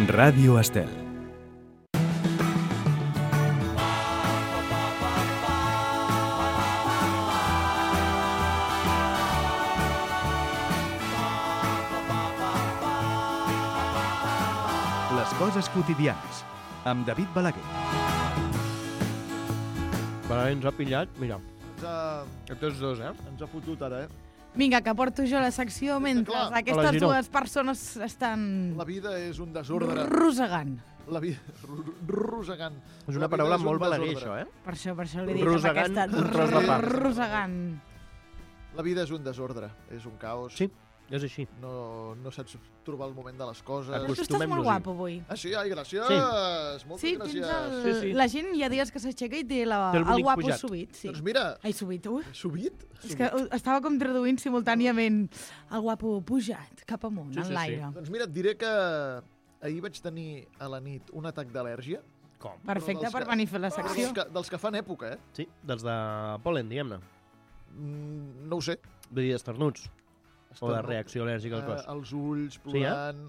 Ràdio Estel. Les coses quotidianes, amb David Balaguer. Vale, ens ha pillat, mira. Tots dos, Ens ha fotut ara, Vinga, que porto jo la secció mentre clar, aquestes dues persones estan La vida és un desordre. rosegant. La vida... Rosegant. És una paraula molt balaguer, això, Per això li dic Rosegant, aquesta... un tros de pa. Rosegant. La vida és un desordre, és un caos. Sí, és així. No saps trobar el moment de les coses. Però tu estàs molt Acostumem-nos-hi. guapo avui. Ah, sí? Ai, gràcies. Sí. Moltes Sí, gràcies. tens Sí, sí. la gent hi ha dies que s'aixeca i té Té el el bonic guapo pujat. subit. Sí. Doncs mira, Ai, subit, subit? És que estava com traduint simultàniament el guapo pujat cap amunt, Sí, sí, en l'aire. Doncs mira, et diré que ahir vaig tenir a la nit un atac d'al·lèrgia. Com? Perfecte dels per que- venir a fer la Però secció. dels que fan època, Sí, dels de pol·len, diguem-ne. No ho sé. Vull dir, d'esternuts. O de reacció al·lèrgica al cos. Els ulls Sí, plorant,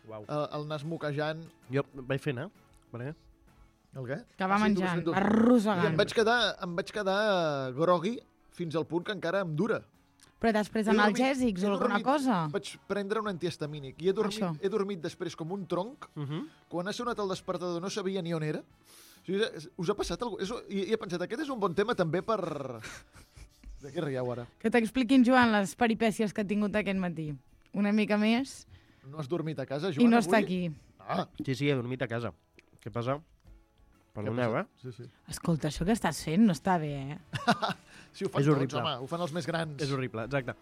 Uau. el nas moquejant. Jo vaig fent, Perquè... El què? Que va Ah, sí, tu vas menjant, fent tu. va I rosegant. em vaig quedar grogui fins al punt que encara em dura. Però després He dormit- analgèsics he o alguna dormit- cosa? Vaig prendre un antihistamínic i Això. he dormit després com un tronc. Quan ha sonat el despertador no sabia ni on era. O sigui, us ha passat alguna cosa? I he pensat, aquest és un bon tema també per... De què rieu ara? Que t'expliquin, Joan, les peripècies que ha tingut aquest matí. Una mica més No has dormit a casa, Joan, i no avui? està aquí. Ah, Sí, he dormit a casa. Què passa? Perdoneu, què ha passat? Sí. Escolta, això que estàs fent no està bé, Sí, ho fan És tots, horrible. home. Ho fan els més grans. És horrible, exacte.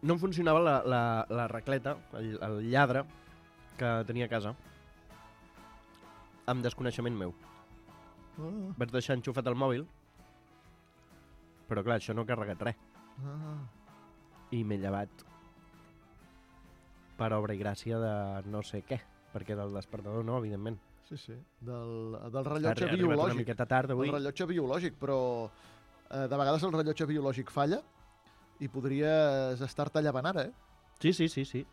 No em funcionava la racleta, el lladre que tenia a casa, amb desconeixement meu. Vaig deixar enxufat el mòbil, però clar, això no ha carregat res. I m'he llevat per obra i gràcia de no sé què, perquè del despertador no, evidentment. Sí. Del rellotge Ha arribat una biològic. miqueta tard avui. El rellotge biològic, però de vegades el rellotge biològic falla i podries estar-te llevant ara, Sí.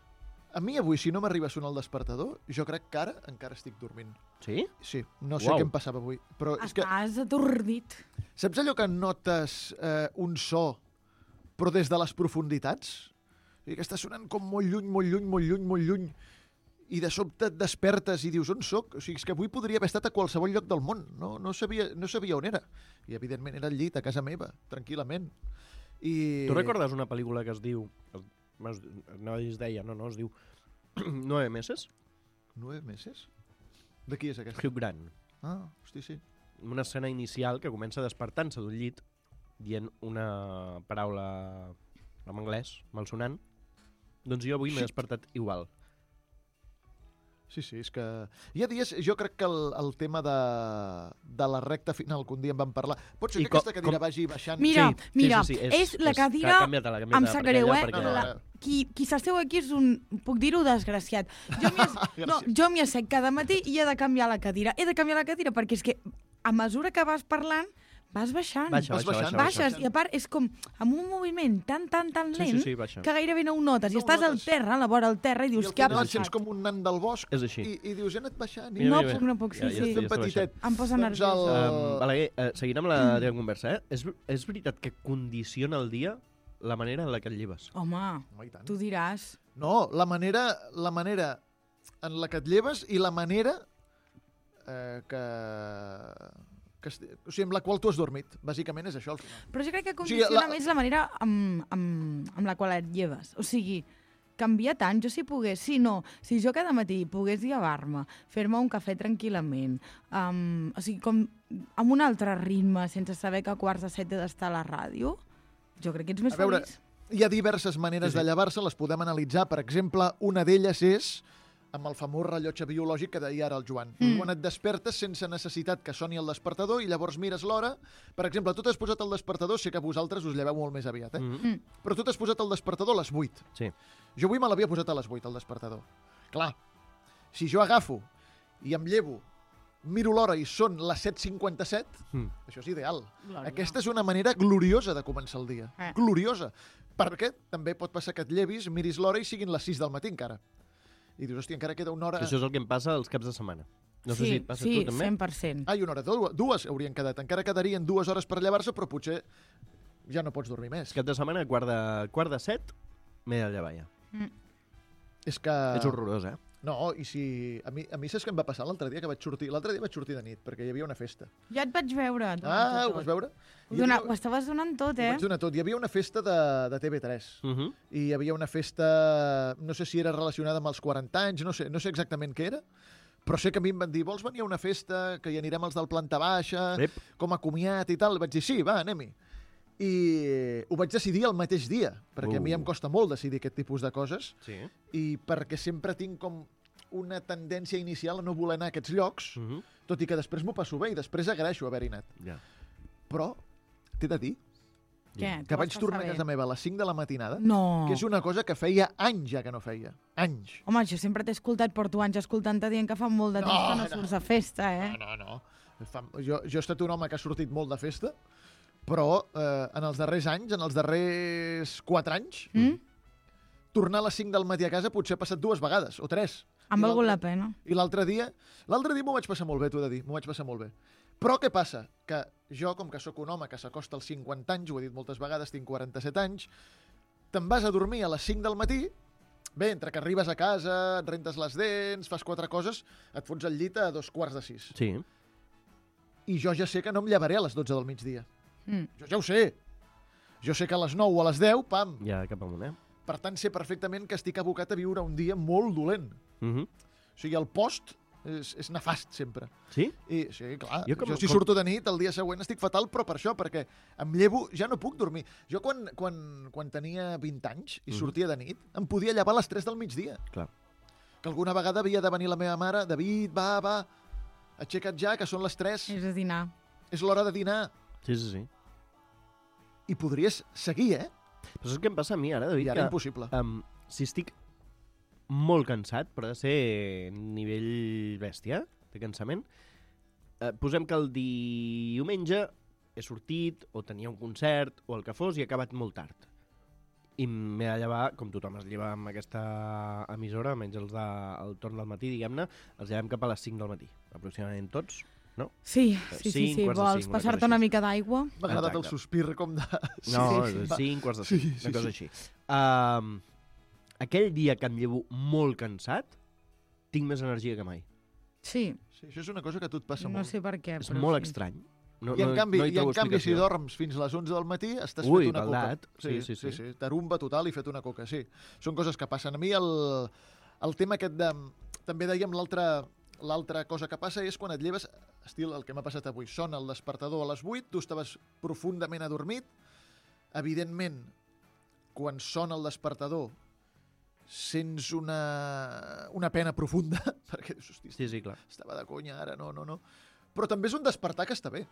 A mi avui, si no m'arriba a sonar el despertador, jo crec que ara encara estic dormint. Sí? Sí, no sé Uau. què em passava avui. Però és que, Estàs atordit. saps allò que notes un so, però des de les profunditats? I que està sonant com molt lluny, i de sobte et despertes i dius, on soc? O sigui, és que avui podria haver estat a qualsevol lloc del món. No sabia on era. I, evidentment, era al llit, a casa meva, tranquil·lament. I... Tu recordes una pel·lícula que es diu... No es deia, no, es diu 9 meses? 9 mesos? De qui és aquesta? Hugh Grant. Ah, hosti, sí. Una escena inicial que comença despertant-se d'un llit dient una paraula en anglès, malsonant. Doncs jo avui m'he despertat igual. Sí, és que... Hi ha dies, jo crec que el tema de la recta final, que un dia en vam parlar... Pot ser I que aquesta cadira vagi baixant... Mira, Sí, és la cadira... Canvia-te-la, Em sap greu, perquè- Qui s'asseu aquí és un, puc dir-ho, desgraciat. Jo m'hi assec cada matí i he de canviar la cadira. He de canviar la cadira perquè és que a mesura que vas parlant vas baixant. Baixes, i a part és com amb un moviment tan lent Sí, baixa. que gairebé no ho notes. I No ho estàs al notes. terra, a la vora del terra, i I dius, al què ha final et sents passat? com un nan del bosc És així. i dius, he anat baixant. Mira, No puc, sí. Ja Ben petitet. Em posa Doncs nerviosa. Balaguer, seguint amb la teva conversa, és veritat que condiciona el dia la manera en la que et lleves? Home, Home, i tant. tu diràs... No, la manera en la que et lleves i la manera o sigui, amb la qual tu has dormit. Bàsicament és això, al final. Però jo crec que O sigui, condiciona més la manera amb la qual et lleves. O sigui, canvia tant. Jo si pogués, si jo cada matí pogués llevar-me, fer-me un cafè tranquil·lament, o sigui, com amb un altre ritme, sense saber que a 6:45 he d'estar a la ràdio, jo crec que ets més A veure, feliç. hi ha diverses maneres de llevar-se, les podem analitzar. Per exemple, una d'elles és amb el famós rellotge biològic que deia ara el Joan. Quan et despertes sense necessitat que soni el despertador i llavors mires l'hora. Per exemple, tu t'has posat el despertador, sé que vosaltres us lleveu molt més aviat, però tu t'has posat el despertador a les 8. Sí. Jo avui me l'havia posat a les 8, el despertador. Clar, si jo agafo i em llevo, miro l'hora i són les 7:57, això és ideal. Glòria. Aquesta és una manera gloriosa de començar el dia. Gloriosa. Perquè també pot passar que et llevis, miris l'hora i siguin les 6 del matí encara. I dius, hòstia, encara queda una hora... Que això és el que em passa els caps de setmana. No sé si et passa a tu també. 100%. Ai, una hora, dues haurien quedat. Encara quedarien 2 hores per llevar-se, però potser ja no pots dormir més. Cap de setmana, quart de 7, m'he de llevar ja. És que... És horrorós, eh? No, i si... A mi saps què em va passar l'altre dia que vaig sortir? L'altre dia vaig sortir de nit, perquè hi havia una festa. Ja et vaig veure. Ho vas veure? Ho estaves donant tot, Ho vaig donar tot. Hi havia una festa de TV3. I hi havia una festa... No sé si era relacionada amb els 40 anys, no sé exactament què era, però sé que a mi em van dir, vols venir a una festa, que hi anirem els del planta baixa, com a comiat i tal? Vaig dir, sí, va, anem-hi. I ho vaig decidir el mateix dia, perquè a mi em costa molt decidir aquest tipus de coses, i perquè sempre tinc com una tendència inicial a no voler anar a aquests llocs, tot i que després m'ho passo bé i després agraeixo haver-hi anat. Però t'he de dir que vaig tornar a casa meva a les 5 de la matinada, que és una cosa que feia anys ja que no feia. Anys. Home, jo sempre t'he escoltat, porto anys escoltant-te dient que fa molt de temps que no surts a festa, eh? No. Jo he estat un home que ha sortit molt de festa, però en els darrers anys, en els darrers 4 anys, tornar a les 5 del matí a casa potser ha passat 2 vegades, o 3. Ha valgut la pena. I l'altre dia m'ho vaig passar molt bé, t'ho he de dir, m'ho vaig passar molt bé. Però què passa? Que jo, com que sóc un home que s'acosta als 50 anys, ho he dit moltes vegades, tinc 47 anys, te'n vas a dormir a les 5 del matí, bé, entre que arribes a casa, et rentes les dents, fas 4 coses, et fots al llit a 5:45. Sí. I jo ja sé que no em llevaré a les 12 del migdia. Jo ja ho sé. Jo sé que a les 9 o a les 10, pam. Ja cap amunt, eh? Per tant, sé perfectament que estic abocat a viure un dia molt dolent. O sigui, el post és nefast, sempre. Sí? I, sí, clar. Jo si surto de nit, el dia següent estic fatal, però per això, perquè em llevo, ja no puc dormir. Jo quan tenia 20 anys i sortia de nit, em podia llevar a les 3 del migdia. Clar. Que alguna vegada havia de venir la meva mare, David, va, aixeca't ja, que són les 3. És a dinar. És l'hora de dinar. Sí. I podries seguir, eh? Però saps què em passa a mi ara, David? I ara impossible. Si estic molt cansat, però ha de ser nivell bèstia, de cansament, posem que el diumenge he sortit, o tenia un concert, o el que fos, i he acabat molt tard. I m'he de llevar, com tothom es lleva amb aquesta emissora, menys els del torn del matí, diguem-ne, els llevem cap a les 5 del matí, aproximadament tots. No? Sí. Vols passar-te una mica d'aigua? M'ha agradat el sospir com de... No, 5:45, una cosa així. Aquell dia que em llevo molt cansat, tinc més energia que mai. Sí. Això és una cosa que a tu et passa molt. No sé per què, és molt estrany. I en canvi, si dorms fins a les 11 del matí, estàs fet una baldat. Coca. Sí. Tarumba total i fet una coca, sí. Són coses que passen. A mi el tema aquest de... També dèiem l'altra cosa que passa és quan et lleves, estil el que m'ha passat avui, sona el despertador a les 8, tu estaves profundament adormit, evidentment, quan sona el despertador, sents una pena profunda, perquè dius, hòstia, sí, clar. Estava de conya ara, no. Però també és un despertar que està bé.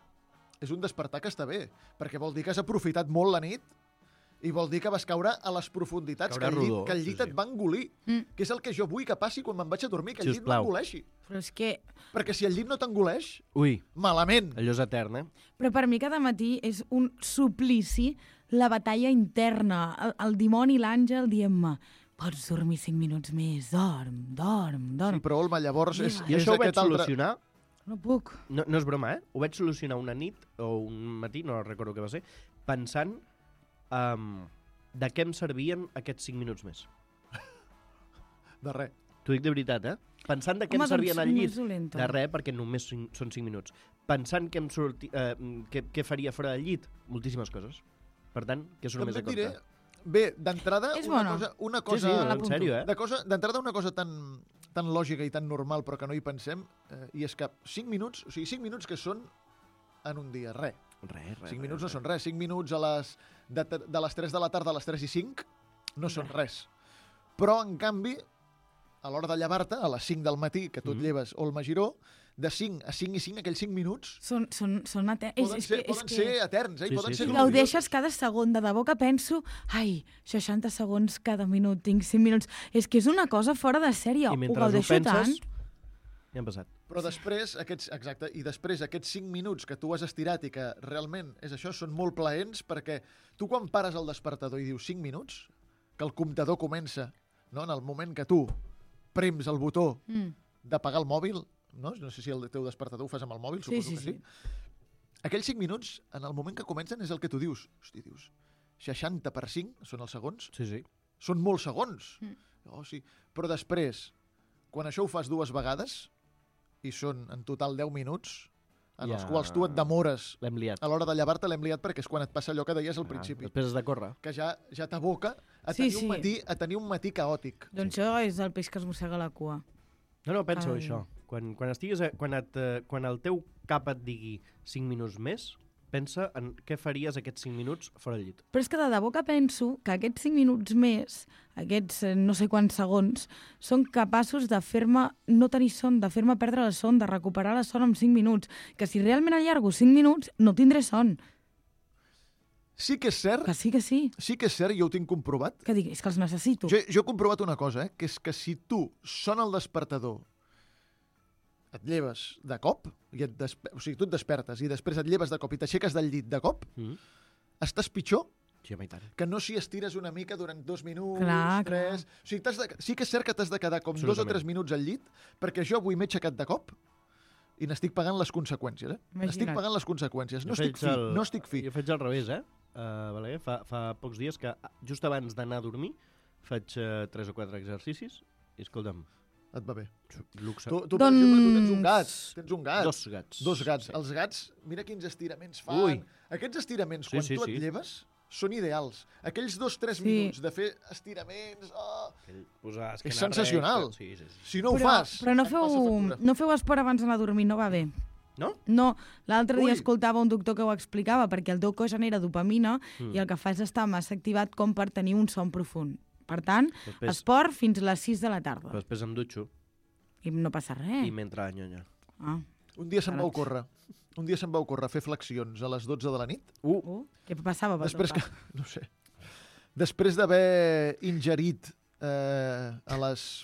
És un despertar que està bé, perquè vol dir que has aprofitat molt la nit i vol dir que vas caure a les profunditats, que el llit et va engolir. Que és el que jo vull que passi quan me'n vaig a dormir, que el llit m'engoleixi. Però és que... Perquè si el llit no t'engoleix, malament. Allò és etern, eh? Però per mi cada matí és un suplici la batalla interna, el dimoni i l'àngel dient-me pots dormir 5 minuts més, dorm. Sí, però Olma, llavors és això ho vaig solucionar. No puc. No és broma, eh? Ho vaig solucionar una nit o un matí, no recordo què va ser, pensant de què em servien aquests 5 minuts més. De res. T'ho dic de veritat, eh? Pensant de què em servien al llit. De res, perquè només són 5 minuts. Pensant què faria fora del llit, moltíssimes coses. Per tant, que és només a compte. Bé, d'entrada, una cosa... Sí, en sèrio, eh? D'entrada, una cosa tan lògica i tan normal, però que no hi pensem, i és que 5 minuts, o sigui, 5 minuts que són en un dia, res. 5 minuts no són res. 5 minuts de les 3 de la tarda a les 3 i 5 no són res. Però, en canvi, a l'hora de llevar-te, a les 5 del matí, que tu et lleves Olma Giró, de 5 a 5 i 5, aquells 5 minuts... Són eterns. Poden ser eterns, eh? Sí. Gaudeixes cada segon. De debò que penso, 60 segons cada minut, tinc 5 minuts. És que és una cosa fora de sèrie. I mentre ho penses, ja han passat. Però després, aquests 5 minuts que tu has estirat i que realment és això, són molt plaents, perquè tu quan pares el despertador i dius 5 minuts, que el comptador comença, no? En el moment que tu prems el botó d'apagar el mòbil, no sé si el teu despertador ho fas amb el mòbil, suposo que sí. Aquells 5 minuts, en el moment que comencen, és el que tu dius. Hosti, dius, 60 per 5 són els segons? Sí. Són molts segons. Oh, sí. Però després, quan això ho fas 2 vegades, i són en total 10 minuts, en els quals tu et demores L'hem liat. a l'hora de llevar-te, l'hem liat perquè és quan et passa allò que deies al principi. Després has de córrer. Que ja t'aboca a tenir un matí caòtic. Doncs això és el peix que es mossega la cua. No, penso això. Quan el teu cap et digui 5 minuts més, pensa en què faries aquests 5 minuts fora del llit. Però és que de debò que penso que aquests 5 minuts més, aquests no sé quants segons, són capaços de fer-me no tenir son, de fer-me perdre la son, de recuperar la son en 5 minuts. Que si realment allargo 5 minuts, no tindré son. Sí que és cert. Que sí, que sí. Sí que és cert, jo ho tinc comprovat. Que digui, és que els necessito. Jo he comprovat una cosa, que és que si tu sona el despertador, et lleves de cop, o sigui, tu et despertes i després et lleves de cop i t'aixeques del llit de cop, estàs pitjor Sí, home, i tant. que no si estires una mica durant 2 minuts, Clar, 3... O sigui, sí que és cert que t'has de quedar com 2 o 3 minuts al llit, perquè jo avui m'he aixecat de cop i n'estic pagant les conseqüències, Imagina't. Estic pagant les conseqüències. No estic fi. Jo faig al revés, Balaguer, fa pocs dies que just abans d'anar a dormir faig 3 o 4 exercicis i escolta'm, Et va bé. luxe. Tu, per exemple, tu tens un gat. Tens un gat. 2 gats. 2 gats. Sí. Els gats, mira quins estiraments fan. Ui. Aquests estiraments, quan tu et lleves, són ideals. Aquells 2-3 minuts de fer estiraments... Oh, és sensacional. Sí. Si no ho Però fas... no et passa factura. no feu esport abans d'anar a dormir, no va bé. No? No, l'altre dia Ui. escoltava un doctor que ho explicava, perquè el teu cos genera dopamina i el que fa és estar massa activat com per tenir un son profund. Per tant, esport fins a les 6 de la tarda. Però després em dutxo I no passa res. i m'entra la nyonya. Ah. Un dia se'm va ocórrer fer flexions a les 12 de la nit. Què passava? Després que... No sé. Després d'haver ingerit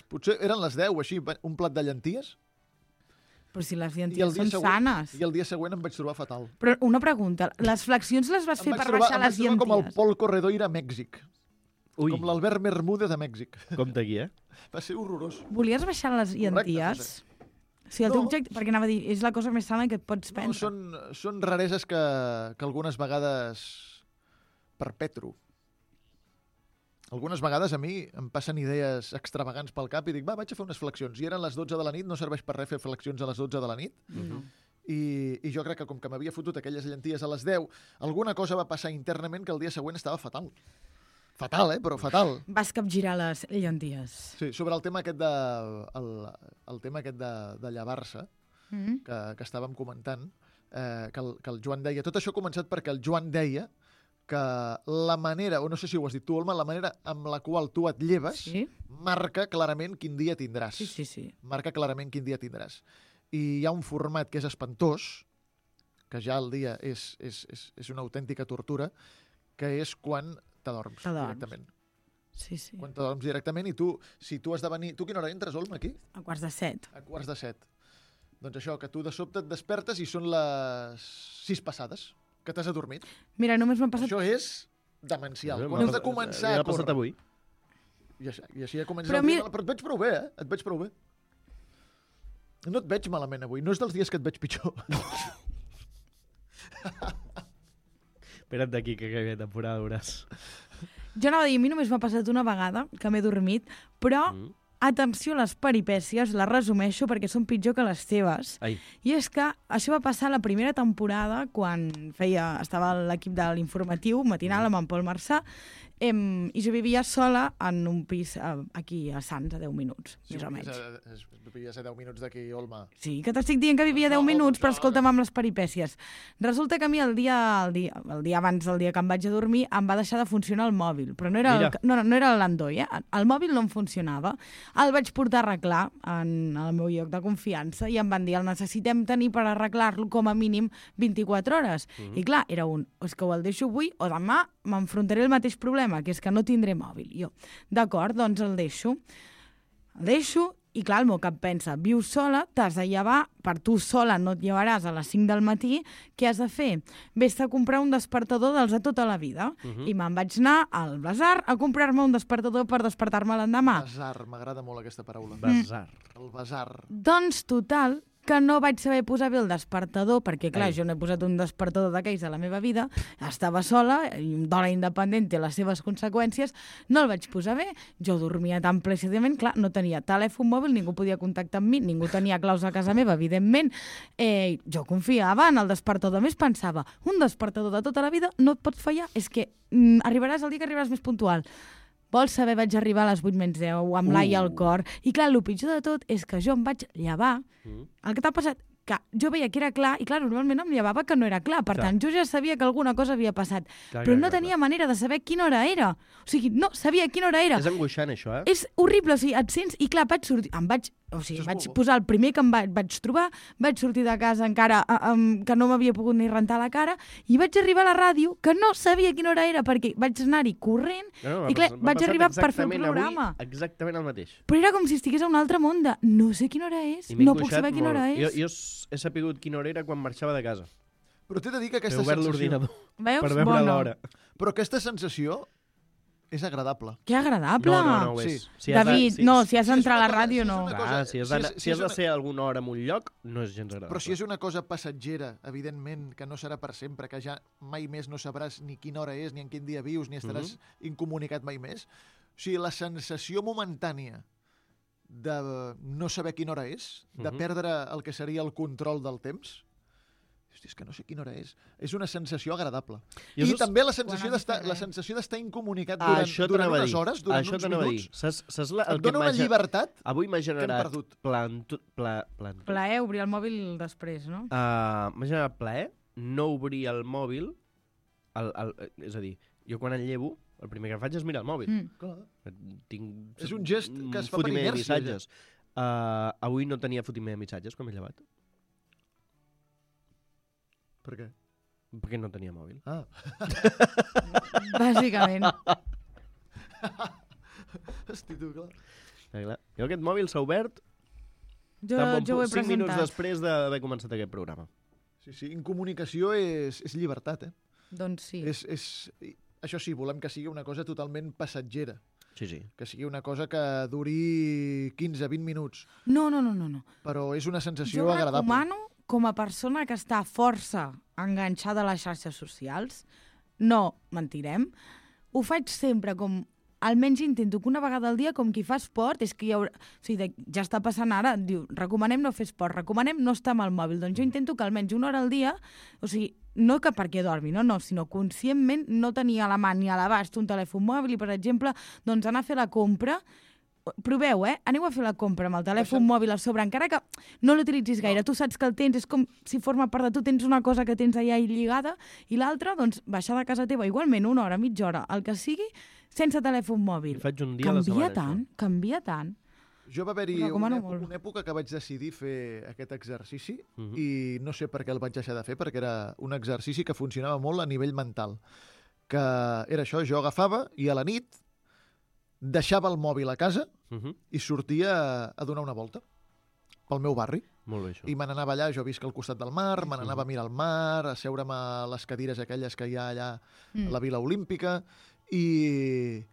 potser eren les 10 o així, un plat de llenties. Però si les llenties són sanes. I el dia següent em vaig trobar fatal. Però una pregunta, les flexions les vas fer per baixar les Em vaig trobar com el llenties? Pol Corredoira a Mèxic. Ui, Com l'Albert Bermúdez a Mèxic. compte aquí, Va ser horrorós. Volies baixar les llenties? Sí, el teu objecte, perquè anava a dir, és la cosa més sana que et pots No, prendre. són rareses que algunes vegades perpetro. Algunes vegades a mi em passen idees extravagants pel cap i dic, vaig a fer unes flexions. I eren les 12 de la nit, no serveix per res fer flexions a les 12 de la nit. No. I jo crec que com que m'havia fotut aquelles llenties a les 10, alguna cosa va passar internament que el dia següent estava fatal. Fatal, però fatal. Vas capgirar les llenties. Sí, sobre el tema aquest de llevar-se, que estàvem comentant, que el Joan deia... Tot això ha començat perquè el Joan deia que la manera, o no sé si ho has dit tu, Olma, la manera amb la qual tu et lleves marca clarament quin dia tindràs. Sí. Marca clarament quin dia tindràs. I hi ha un format que és espantós, que ja el dia és una autèntica tortura, que és quan t'adorms directament. Sí. Quan t'adorms directament i tu, si tu has de venir... Tu quina hora entres, Olma, aquí? A 6:45. A 6:45. Doncs això, que tu de sobte et despertes i són les 6 passades, que t'has adormit. Mira, només m'ha passat... Això és demencial. Quan has de començar a ha passat córrer. avui. I així ja comences Però el dia. Però et veig prou bé, Et veig prou bé. No et veig malament avui. No és dels dies que et veig pitjor. Espera't d'aquí que acabi la temporada, veuràs. Jo anava a dir, a mi només m'ha passat una vegada que m'he dormit, però atenció a les peripècies, les resumeixo perquè són pitjor que les teves. Ai. I és que això va passar la primera temporada quan estava l'equip de l'informatiu matinal amb en Pol Marçà i jo vivia sola en un pis aquí a Sants a 10 minuts, més o menys. Vivies a 10 minuts d'aquí, Olma. Sí, que t'estic dient que vivia 10 minuts, però escolta'm amb les peripècies. Resulta que a mi el dia abans del dia que em vaig a dormir em va deixar de funcionar el mòbil, però no era l'Android, el mòbil no em funcionava. El vaig portar a arreglar en el meu lloc de confiança i em van dir el necessitem tenir per arreglar-lo com a mínim 24 hores. I clar, era és que ho el deixo avui o demà m'enfrontaré al mateix problema, que és que no tindré mòbil. Jo, d'acord, doncs el deixo. El deixo I clar, el meu cap pensa, vius sola, t'has de llevar, per tu sola no et llevaràs a les 5 del matí, què has de fer? Vés-te a comprar un despertador dels de tota la vida. I me'n vaig anar al bazar a comprar-me un despertador per despertar-me l'endemà. Bazar, m'agrada molt aquesta paraula. Bazar. El bazar. Doncs total, que no vaig saber posar bé el despertador, perquè clar, jo no he posat un despertador d'aquells a la meva vida, estava sola, i un dona independent té les seves conseqüències, no el vaig posar bé, jo dormia tan plàcidament, clar, no tenia telèfon mòbil, ningú podia contactar amb mi, ningú tenia claus a casa meva, evidentment, jo confiava en el despertador, a més pensava, un despertador de tota la vida no et pot fallar, és que arribaràs el dia que arribaràs més puntual. Vols saber, vaig arribar a les 8 menys 10, amb l'ai al cor. I clar, el pitjor de tot és que jo em vaig llevar. El que t'ha passat, que jo veia que era clar, i clar, normalment em llevava que no era clar. Per tant, jo ja sabia que alguna cosa havia passat. Però no tenia manera de saber quina hora era. O sigui, no sabia quina hora era. És angoixant, això, És horrible, o sigui, et sents... I clar, vaig sortir... vaig posar el primer que em vaig trobar, vaig sortir de casa encara que no m'havia pogut ni rentar la cara, i vaig arribar a la ràdio, que no sabia quina hora era, perquè vaig anar-hi corrent, i clar, vaig arribar per fer el programa. Exactament el mateix. Però era com si estigués a un altre món de no sé quina hora és, no puc saber quina hora és. Jo he sapigut quina hora era quan marxava de casa. Però t'he de dir que aquesta He obert sensació... l'ordinador per Veus? veure l'hora. Però aquesta sensació és agradable. Que agradable! No ho és. Sí. David, no, si has d'entrar a la ràdio, no. Si has de ser a alguna hora en un lloc, no és gens agradable. Però si és una cosa passatgera, evidentment, que no serà per sempre, que ja mai més no sabràs ni quina hora és, ni en quin dia vius, ni estaràs incomunicat mai més. O sigui, la sensació momentània de no saber quina hora és, de perdre el que seria el control del temps, hosti, és que no sé quina hora és. És una sensació agradable. I també la sensació d'estar incomunicat durant unes hores, durant uns minuts. Et dona una llibertat avui m'ha generat Plaer obrir el mòbil després, no? M'ha generat plaer no obrir el mòbil, és a dir, jo quan el llevo, el primer que faig és mirar el mòbil. És un gest que es fa per inèrcia. Avui no tenia fotimer de missatges quan m'he llevat. Per què? Perquè no tenia mòbil. Bàsicament. Hosti, tu, clar. Jo aquest mòbil s'ha obert Jo ho he 5 minuts presentat. després d'haver començat aquest programa. Sí, incomunicació és llibertat, eh? Doncs sí. Això sí, volem que sigui una cosa totalment passatgera. Sí. Que sigui una cosa que duri 15-20 minuts. No. Però és una sensació Jo agradable. recomano, com a persona que està força enganxada a les xarxes socials, no mentirem, ho faig sempre com... Almenys intento que una vegada al dia, com qui fa esport, és que ja està passant ara, diu, recomanem no fer esport, recomanem no estar amb el mòbil. Doncs jo intento que almenys una hora al dia, o sigui, no que perquè dormi, no, sinó conscientment no tenir a la mà ni a l'abast un telèfon mòbil i, per exemple, doncs anar a fer la compra. Proveu, aneu a fer la compra amb el telèfon mòbil a sobre, encara que no l'utilitzis gaire. Tu saps que el tens, és com si forma part de tu, tens una cosa que tens allà lligada, i l'altra, doncs, baixar de casa teva, igualment, una hora, mitja hora, el que sigui, sense telèfon mòbil. Faig un dia a la setmana, Canvia tant. Jo va haver-hi una època que vaig decidir fer aquest exercici i no sé per què el vaig deixar de fer, perquè era un exercici que funcionava molt a nivell mental. Que era això, jo agafava i a la nit deixava el mòbil a casa i sortia a donar una volta pel meu barri. Molt bé, això. I me n'anava allà, jo visc al costat del mar, me n'anava a mirar el mar, a seure'm a les cadires aquelles que hi ha allà a la Vila Olímpica, i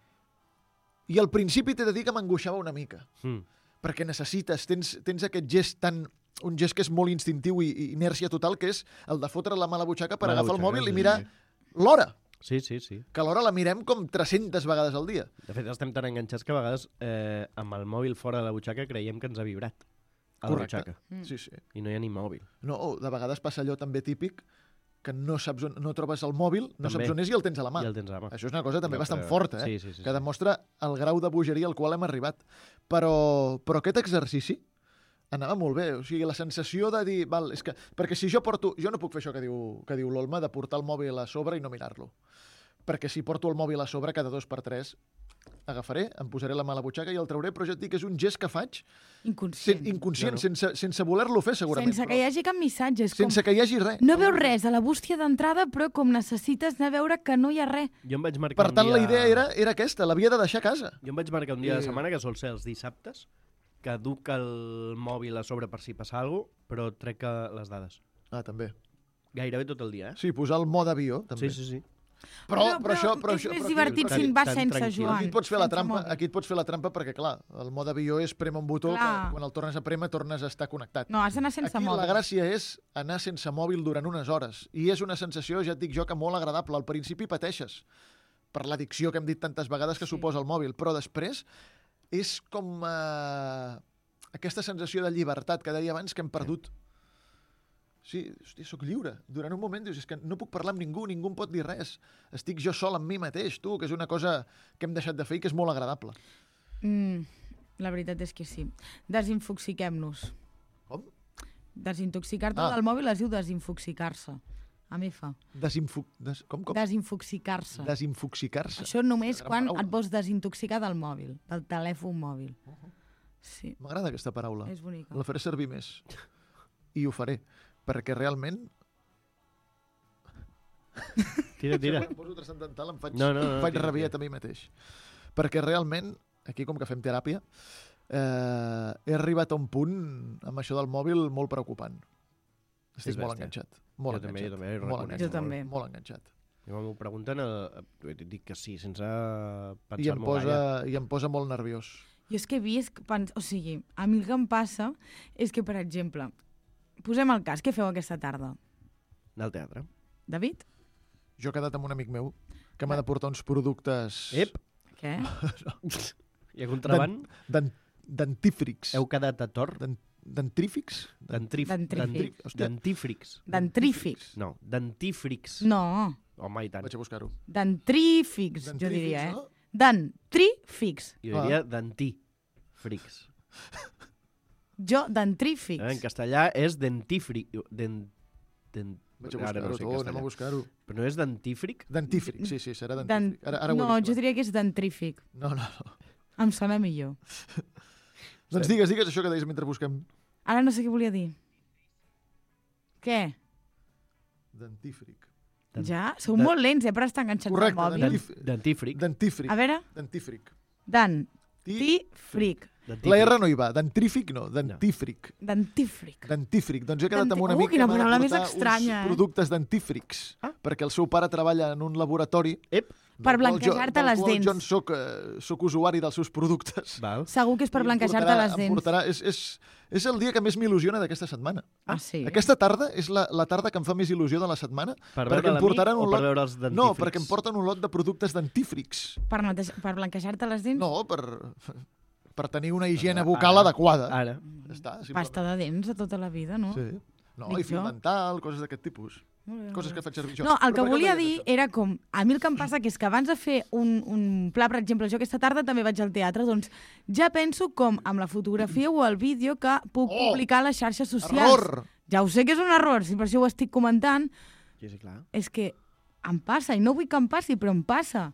al principi t'he de dir que m'angoixava una mica, perquè tens aquest gest un gest que és molt instintiu i inèrcia total, que és el de fotre la mà a la butxaca per agafar el mòbil i mirar l'hora. Sí. Que l'hora la mirem com 300 vegades al dia. De fet, estem tan enganxats que a vegades amb el mòbil fora de la butxaca creiem que ens ha vibrat a la butxaca. Sí. I no hi ha ni mòbil. No, de vegades passa allò també típic que no trobes el mòbil, no saps on és i el tens a la mà. I el tens a la mà. Això és una cosa també bastant forta, sí. Que demostra el grau de bogeria al qual hem arribat. Però aquest exercici anava molt bé. O sigui, la sensació de dir... perquè si jo no puc fer això que diu l'Olma, de portar el mòbil a sobre i no mirar-lo. Perquè si porto el mòbil a sobre cada 2 per 3 agafaré, em posaré la mà a la butxaca i el trauré, però ja et dic que és un gest que faig inconscient, sense voler-lo fer, segurament. Sense que hi hagi cap missatge. Sense que hi hagi res. No veus res a la bústia d'entrada, però com necessites anar a veure que no hi ha res. Jo em vaig marcar per tant, la idea era aquesta, l'havia de deixar a casa. Jo em vaig marcar un dia de setmana, que sol ser els dissabtes, caduca el mòbil a sobre per si passa alguna cosa, però trec les dades. Ah, també. Gairebé tot el dia, Sí, posar el mode avió, també. Sí. Però és més divertit si en vas tan sense, tranquil. Joan. Aquí et pots fer la sense trampa, mòbil. aquí et pots fer la trampa perquè, clar, el mode avió és prema un botó que Clar. quan el tornes a prémer tornes a estar connectat. No, has d'anar sense Aquí mòbil. la gràcia és anar sense mòbil durant unes hores. I és una sensació, ja et dic jo, que molt agradable. Al principi pateixes per l'addicció que hem dit tantes vegades que Sí. suposa el mòbil, però després és com aquesta sensació de llibertat que deia abans que hem perdut. Sí, hòstia, soc lliure. Durant un moment dius, és que no puc parlar amb ningú, ningú em pot dir res. Estic jo sol amb mi mateix, tu, que és una cosa que hem deixat de fer i que és molt agradable. La veritat és que sí. Desinfoxiquem-nos. Com? Desintoxicar-te Ah. del mòbil es diu desinfoxicar-se. A mi fa. Com? Desinfoxicar-se. Desinfoxicar-se. Això només Gran quan paraula. et vols desintoxicar del mòbil, del telèfon mòbil. Sí, M'agrada aquesta paraula. és bonica. La faré servir més. I ho faré. Perquè realment... Tira. Em poso transcendental, em faig, No, em faig tira, rabiet a mi mateix. Perquè realment, aquí com que fem teràpia, he arribat a un punt amb això del mòbil molt preocupant. Estic És molt bèstia. enganxat. Molt Jo també, enganxat. jo també, ho molt reconec. enganxat. Jo també. Molt enganxat. I quan m'ho pregunten, dic que sí, sense I pensar-m'ho gaire. em posa molt nerviós. Jo és que he vist... O sigui, a mi el que em passa és que, per exemple, posem el cas, què feu aquesta tarda? Anar al teatre. David? Jo he quedat amb un amic meu que m'ha de portar uns productes Ep, Què? hi ha contraband? dentífrics. Heu quedat a Tor? Dentrífics? Dentrífics. Hòstia, Dentífrics. Dentrífics. No, dentífrics. No, Home, i tant. vaig a buscar-ho. dentrífics, jo diria, no? Dentrífics. Jo diria dentífrics. Dentrífics. En castellà és dentífric. Vaig a Ara buscar-ho, no sé en anem a castellà. buscar-ho. Però no és dentífric? Dentífric, sí, serà dentífric. Ara ho he No, vist. jo diria que és dentrífic. No. Em sona millor. Doncs digues això que deies mentre busquem. Ara no sé què volia dir. Què? Dentífric. Ja? Sou molt lents, per estar enganxats Correcte, al mòbil. Dentífric. Dentífric. A veure, Dentífric. dentífric. La R no hi va. Dentrífic no, dentífric. Dentífric. Dentífric. Doncs he quedat amb un amic quina que m'ha paraula de més portar estranya, uns productes dentífrics. Perquè el seu pare treballa en un laboratori Ep, Per blanquejar-te les dents. Jo soc usuari dels seus productes. val. Segur que és per I em blanquejar-te portarà- les em dents. portarà- És el dia que més m'il·lusiona d'aquesta setmana. Ah, sí? Aquesta tarda és la tarda que em fa més il·lusió de la setmana. Per perquè veure em l'amic portaran o un per lot... veure els dentífrics? No, perquè em porten un lot de productes dentífrics. Per blanquejar-te les dents? No, per tenir una higiene bucal adequada. Ara. Ja està, Pasta de dents de tota la vida, no? Sí. No, Dic i fil jo. dental, coses d'aquest tipus. Molt bé, Coses molt que bé. faig servir jo. No, el Però que per què volia ho deies, dir això? era com... A mi el que em passa que és que abans de fer un pla, per exemple, jo aquesta tarda també vaig al teatre, doncs ja penso com amb la fotografia o el vídeo que puc publicar a les xarxes socials. Error! Ja ho sé que és un error, si per això ho estic comentant, Sí, sí, clar. és que em passa, i no vull que em passi, però em passa.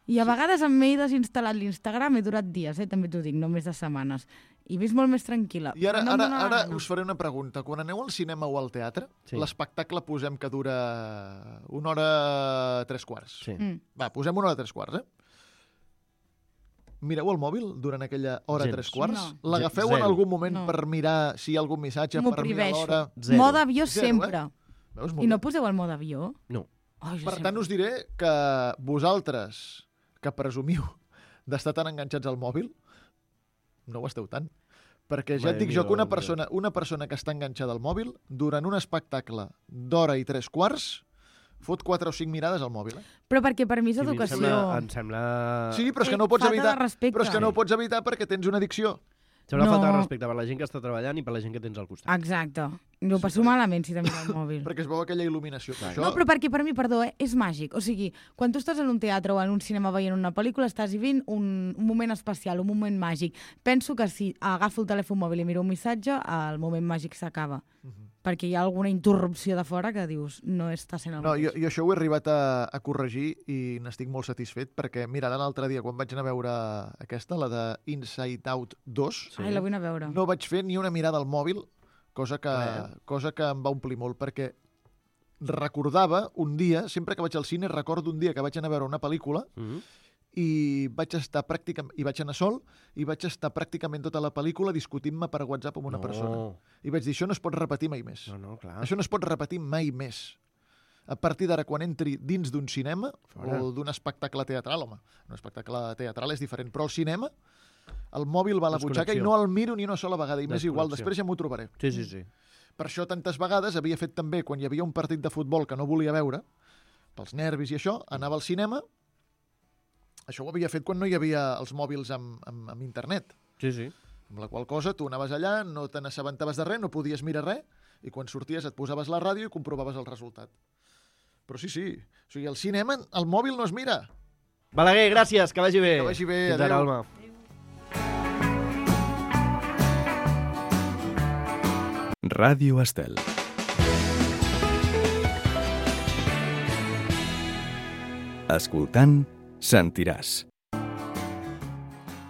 I a vegades m'he desinstal·lat l'Instagram, he durat dies, també t'ho dic, no més de setmanes. I visc molt més tranquil·la. I ara, Però no em dóna la ara gana. us faré una pregunta. Quan aneu al cinema o al teatre, Sí. l'espectacle posem que dura 1 hora 3/4. Sí. Va, posem 1 hora 3/4, Mireu el mòbil durant aquella hora Gens. 3/4? No. L'agafeu Zero. en algun moment No. per mirar si hi ha algun missatge, M'ho per mirar prohibeixo. l'hora? Zero. Mode avió Zero, sempre. Veus? Molt I no bé. poseu el mode avió? No. Oh, jo Per sempre. tant, us diré que vosaltres, que presumiu d'estar tan enganxats al mòbil, no ho esteu tant. Perquè ja et dic jo que una persona que està enganxada al mòbil, durant un espectacle d'hora i 3/4, fot 4 o 5 mirades al mòbil. Però perquè per mi és Sí, a mi educació. em sembla... Sí, però és que no ho pots falta de evitar. respecte. Però és que no ho pots evitar perquè tens una addicció. Sembla No. falta de respecte per la gent que està treballant i per la gent que tens al costat. Exacte. Jo ho passo malament si te miro el mòbil. Perquè es veu aquella il·luminació. Clar. Això, No, però perquè per mi, perdó, és màgic. O sigui, quan tu estàs en un teatre o en un cinema veient una pel·lícula, estàs vivint un moment especial, un moment màgic. Penso que si agafo el telèfon mòbil i miro un missatge, el moment màgic s'acaba. Perquè hi ha alguna interrupció de fora que dius, no està sent el No, mateix. jo això ho he arribat a corregir i n'estic molt satisfet perquè, mira, ara l'altre dia, quan vaig anar a veure aquesta, la de Inside Out 2, Sí. Ai, la vull anar a veure. no vaig fer ni una mirada al mòbil, cosa que em va omplir molt, perquè recordava un dia, sempre que vaig al cine, recordo un dia que vaig anar a veure una pel·lícula i vaig anar sol i vaig estar pràcticament tota la pel·lícula discutint-me per WhatsApp amb una persona. I vaig dir, això no es pot repetir mai més. No, clar. Això no es pot repetir mai més. A partir d'ara, quan entri dins d'un cinema o d'un espectacle teatral, home, un espectacle teatral és diferent, però al cinema el mòbil va a la butxaca i no el miro ni una sola vegada, i m'és igual, després ja m'ho trobaré. Sí. Per això tantes vegades havia fet també, quan hi havia un partit de futbol que no volia veure, pels nervis i això, anava al cinema. Això ho havia fet quan no hi havia els mòbils amb internet. Sí. Amb la qual cosa tu anaves allà, no te n'assabentaves de res, no podies mirar res, i quan sorties et posaves la ràdio i comprovaves el resultat. Però sí. O sigui, al cinema el mòbil no es mira. Balaguer, gràcies, que vagi bé. Que vagi bé, Fins ara, adéu. Alma. Ràdio Estel. Escoltant, sentiràs.